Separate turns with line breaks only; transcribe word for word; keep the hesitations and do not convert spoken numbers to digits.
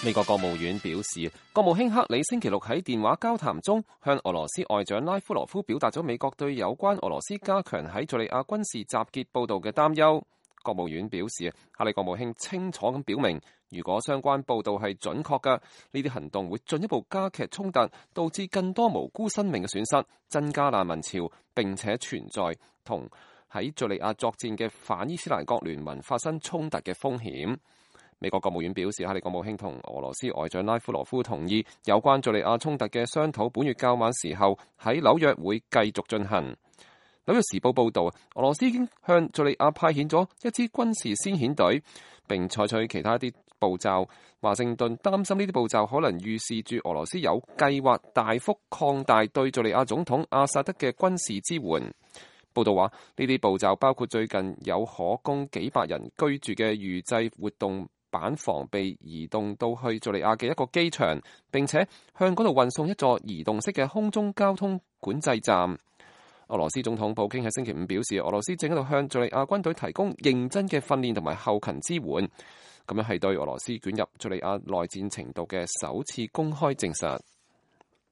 美國國務院表示，國務卿克里星期六喺電話交談中向俄羅斯外長拉夫羅夫表達咗美國對有關俄羅斯加強喺敘利亞軍事集結報道嘅擔憂。國務院表示，克里國務卿清楚咁表明，如果相關報道係準確嘅，呢啲行動會進一步加劇衝突，導致更多無辜生命嘅損失，增加難民潮，並且存在同喺敘利亞作戰嘅反伊斯蘭國聯盟發生衝突嘅風險。美國國務院表示，克里國務卿同俄羅斯外長拉夫羅夫同意有關敘利亞衝突嘅商討，本月較晚時候喺紐約會繼續進行。紐約時報報導，俄羅斯已經向敘利亞派遣咗一支軍事先遣隊，並採取其他一啲步驟。華盛頓擔心呢啲步驟可能預示住俄羅斯有計劃大幅擴大對敘利亞總統阿薩德嘅軍事支援。報道話，呢啲步驟包括最近有可供幾百人居住嘅預製活動板房被移動到去敘利亞嘅一個機場，並且向嗰度運送一座移動式嘅空中交通管制站。俄羅斯總統普京喺星期五表示，俄羅斯正喺度向敘利亞軍隊提供認真嘅訓練同埋後勤支援，咁樣係對俄羅斯捲入敘利亞內戰程度嘅首次公開證實。